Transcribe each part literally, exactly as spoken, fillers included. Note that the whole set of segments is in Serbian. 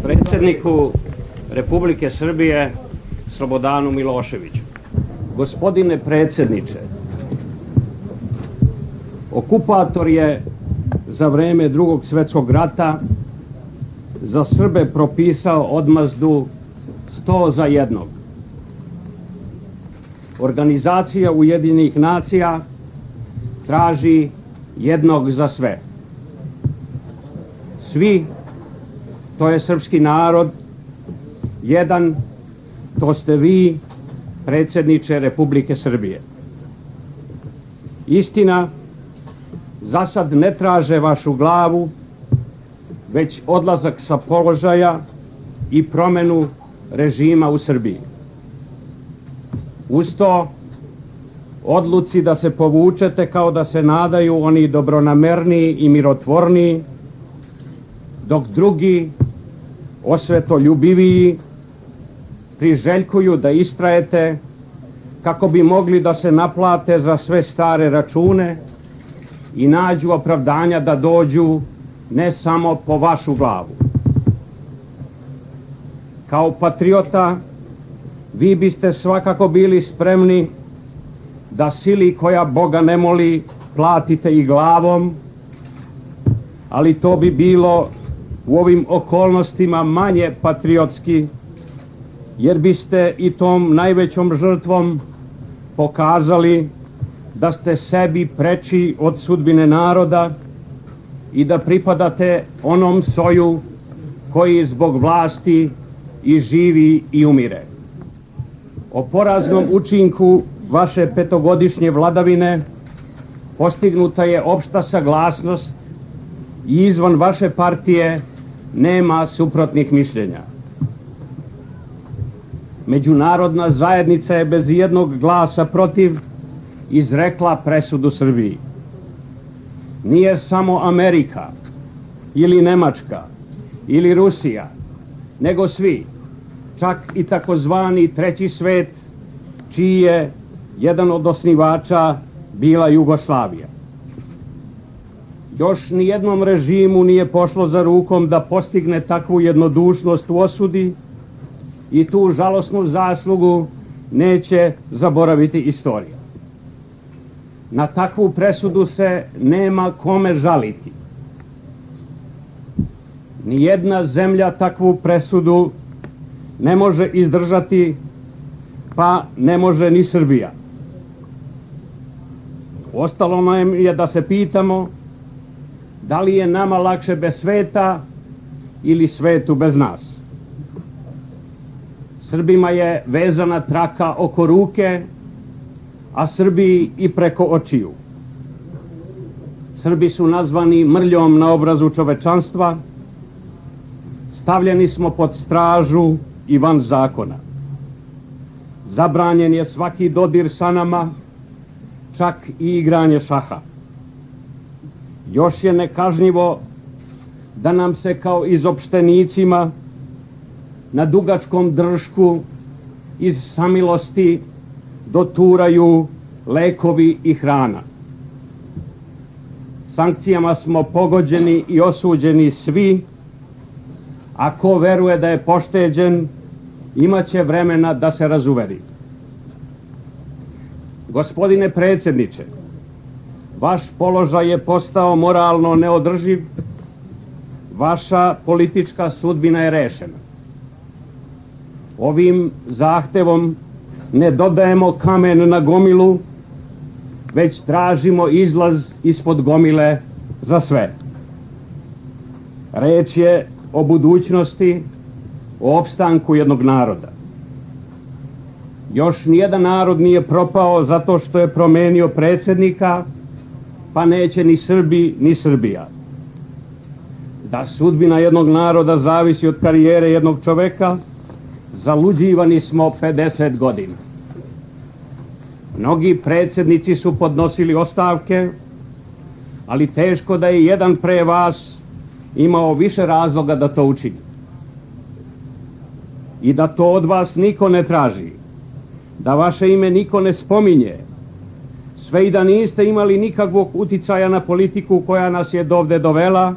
Predsjedniku Republike Srbije Slobodanu Miloševiću. Gospodine predsjedniče, okupator je za vreme Drugog svjetskog rata za Srbe propisao odmazdu sto za jednog. Organizacija Ujedinjenih nacija traži jednog za sve. Svi, to je srpski narod, jedan, to ste vi, predsjedniče Republike Srbije. Istina, za sad ne traže vašu glavu, već odlazak sa položaja i promjenu režima u Srbiji. Uz to, odluci da se povučete kao da se nadaju oni dobronamerniji i mirotvorniji, dok drugi, osvetoljubiviji, priželjkuju da istrajete kako bi mogli da se naplate za sve stare račune i nađu opravdanja da dođu ne samo po vašu glavu. Kao patriota, vi biste svakako bili spremni da sili koja Boga ne moli platite i glavom, ali to bi bilo u ovim okolnostima manje patriotski, jer biste i tom najvećom žrtvom pokazali da ste sebi preči od sudbine naroda i da pripadate onom soju koji zbog vlasti i živi i umire. O poraznom učinku vaše petogodišnje vladavine postignuta je opšta saglasnost i izvan vaše partije nema suprotnih mišljenja. Međunarodna zajednica je bez jednog glasa protiv izrekla presudu Srbiji. Nije samo Amerika ili Nemačka ili Rusija, nego svi, čak i takozvani treći svet, čiji je jedan od osnivača bila Jugoslavija. Još nijednom režimu nije pošlo za rukom da postigne takvu jednodušnost u osudi i tu žalosnu zaslugu neće zaboraviti istorija. Na takvu presudu se nema kome žaliti. Nijedna zemlja takvu presudu ne može izdržati, pa ne može ni Srbija. Ostalo nam je da se pitamo da li je nama lakše bez sveta ili svetu bez nas. Srbima je vezana traka oko ruke, a Srbiji i preko očiju. Srbi su nazvani mrljom na obrazu čovečanstva, stavljeni smo pod stražu i van zakona. Zabranjen je svaki dodir sa nama, čak i igranje šaha. Još je nekažnjivo da nam se kao izopštenicima na dugačkom dršku iz samilosti doturaju lekovi i hrana. Sankcijama smo pogođeni i osuđeni svi, a ko veruje da je pošteđen, imaće vremena da se razuveri. Gospodine predsjedniče, vaš položaj je postao moralno neodrživ, vaša politička sudbina je rešena. Ovim zahtevom ne dodajemo kamen na gomilu, već tražimo izlaz ispod gomile za sve. Reč je o budućnosti, o opstanku jednog naroda. Još nijedan narod nije propao zato što je promenio predsjednika, pa neće ni Srbi ni Srbija. Da sudbina jednog naroda zavisi od karijere jednog čoveka, zaluđivani smo pedeset godina. Mnogi predsjednici su podnosili ostavke, ali teško da je jedan pre vas imao više razloga da to učini. I da to od vas niko ne traži, da vaše ime niko ne spominje, sve i da niste imali nikakvog uticaja na politiku koja nas je dovde dovela,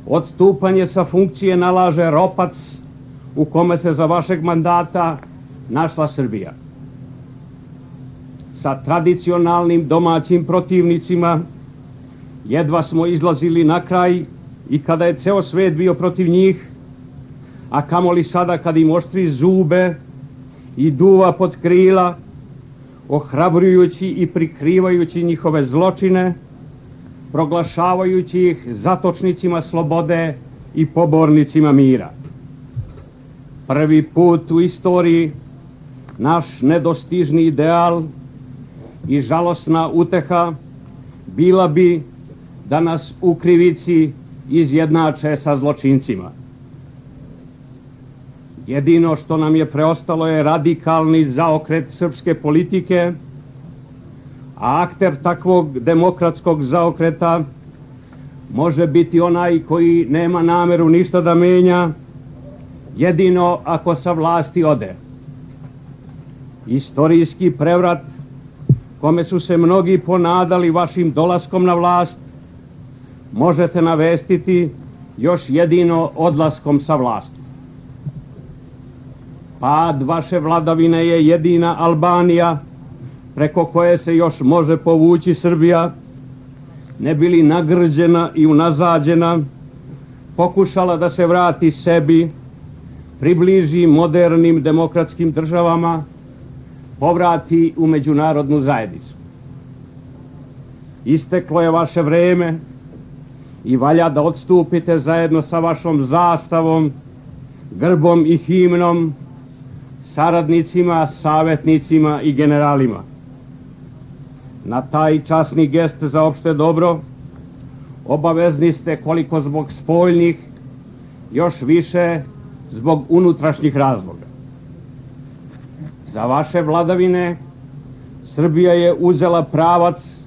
odstupanje sa funkcije nalaže ropac u kome se za vašeg mandata našla Srbija. Sa tradicionalnim domaćim protivnicima jedva smo izlazili na kraj i kada je ceo svet bio protiv njih, a kamoli sada kad im oštri zube i duva pod krila, ohrabrujući i prikrivajući njihove zločine, proglašavajući ih zatočnicima slobode i pobornicima mira. Prvi put u istoriji naš nedostižni ideal i žalosna uteha bila bi da nas u krivici izjednače sa zločincima. Jedino što nam je preostalo je radikalni zaokret srpske politike, a akter takvog demokratskog zaokreta može biti onaj koji nema nameru ništa da menja, jedino ako sa vlasti ode. Istorijski prevrat kome su se mnogi ponadali vašim dolaskom na vlast možete navestiti još jedino odlaskom sa vlasti. Pad vaše vladavine je jedina Albanija preko koje se još može povući Srbija, ne bili nagrđena i unazađena, pokušala da se vrati sebi, približi modernim demokratskim državama, povrati u međunarodnu zajednicu. Isteklo je vaše vreme i valja da odstupite zajedno sa vašom zastavom, grbom i himnom, saradnicima, savjetnicima i generalima. Na taj časni gest za opšte dobro obavezni ste koliko zbog spoljnih, još više zbog unutrašnjih razloga. Za vaše vladavine Srbija je uzela pravac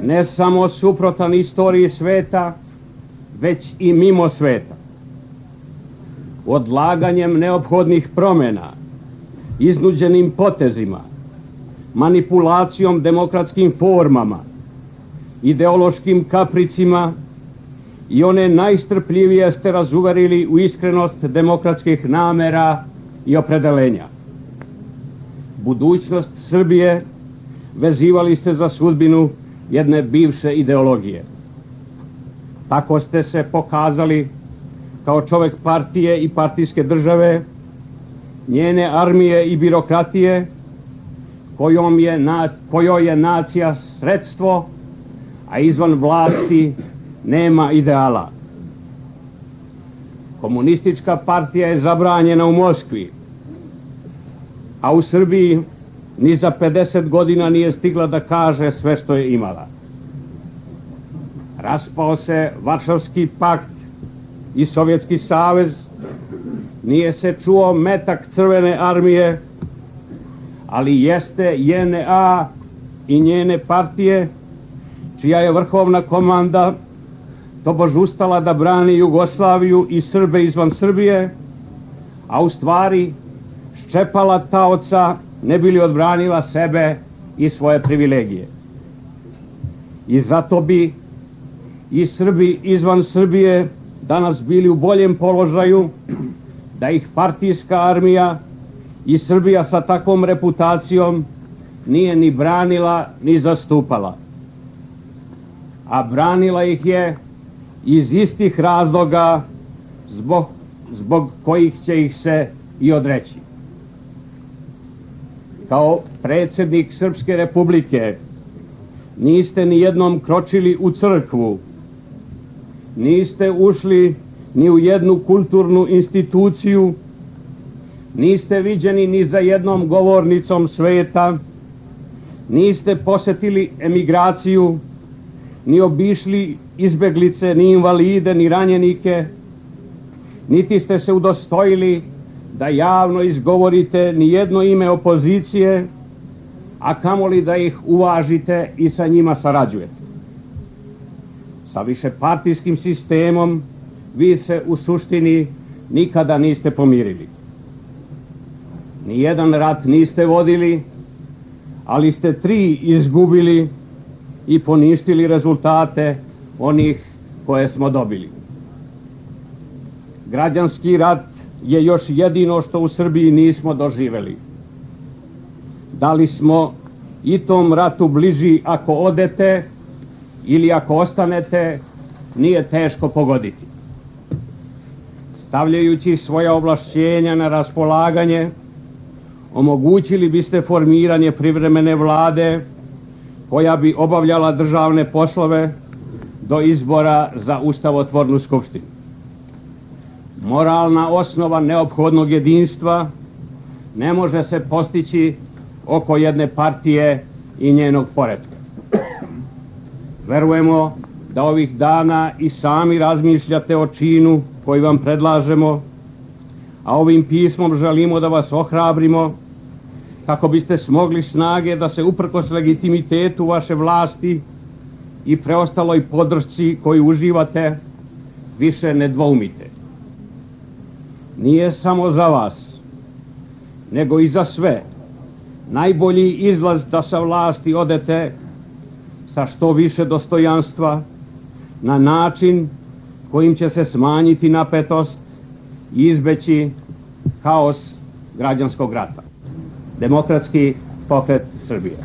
ne samo suprotan istoriji sveta, već i mimo sveta. Odlaganjem neophodnih promjena, iznuđenim potezima, manipulacijom demokratskim formama, ideološkim kapricima i one najstrpljivije ste razuverili u iskrenost demokratskih namera i opredelenja. Budućnost Srbije vezivali ste za sudbinu jedne bivše ideologije. Tako ste se pokazali kao čovjek partije i partijske države, njene armije i birokratije, kojom je, kojoj je nacija sredstvo, a izvan vlasti nema ideala. Komunistička partija je zabranjena u Moskvi, a u Srbiji ni za pedeset godina nije stigla da kaže sve što je imala. Raspao se Varšavski pakt i Sovjetski savez, nije se čuo metak Crvene armije, ali jeste J N A i njene partije, čija je vrhovna komanda tobož ustala da brani Jugoslaviju i Srbe izvan Srbije, a u stvari ščepala taoca ne bi li odbranila sebe i svoje privilegije. I zato bi i Srbi izvan Srbije danas bili u boljem položaju da ih partijska armija i Srbija sa takvom reputacijom nije ni branila ni zastupala. A branila ih je iz istih razloga zbog, zbog kojih će ih se i odreći. Kao predsjednik Srpske Republike niste ni jednom kročili u crkvu, niste ušli ni u jednu kulturnu instituciju, niste viđeni ni za jednom govornicom sveta, niste posjetili emigraciju, ni obišli izbeglice, ni invalide, ni ranjenike, niti ste se udostojili da javno izgovorite ni jedno ime opozicije, a kamoli da ih uvažite i sa njima sarađujete. Sa višepartijskim sistemom vi se u suštini nikada niste pomirili. Nijedan rat niste vodili, ali ste tri izgubili i poništili rezultate onih koje smo dobili. Građanski rat je još jedino što u Srbiji nismo doživeli. Da li smo i tom ratu bliži ako odete ili ako ostanete, nije teško pogoditi. Stavljajući svoja ovlašćenja na raspolaganje, omogućili biste formiranje privremene vlade koja bi obavljala državne poslove do izbora za ustavotvornu skupštinu. Moralna osnova neophodnog jedinstva ne može se postići oko jedne partije i njenog poretka. Verujemo da ovih dana i sami razmišljate o činu koji vam predlažemo, a ovim pismom želimo da vas ohrabrimo kako biste smogli snage da se uprkos legitimitetu vaše vlasti i preostaloj podršci koju uživate više ne dvoumite. Nije samo za vas, nego i za sve najbolji izlaz da sa vlasti odete sa što više dostojanstva, na način kojim će se smanjiti napetost i izbeći haos građanskog rata. Demokratski pokret Srbije.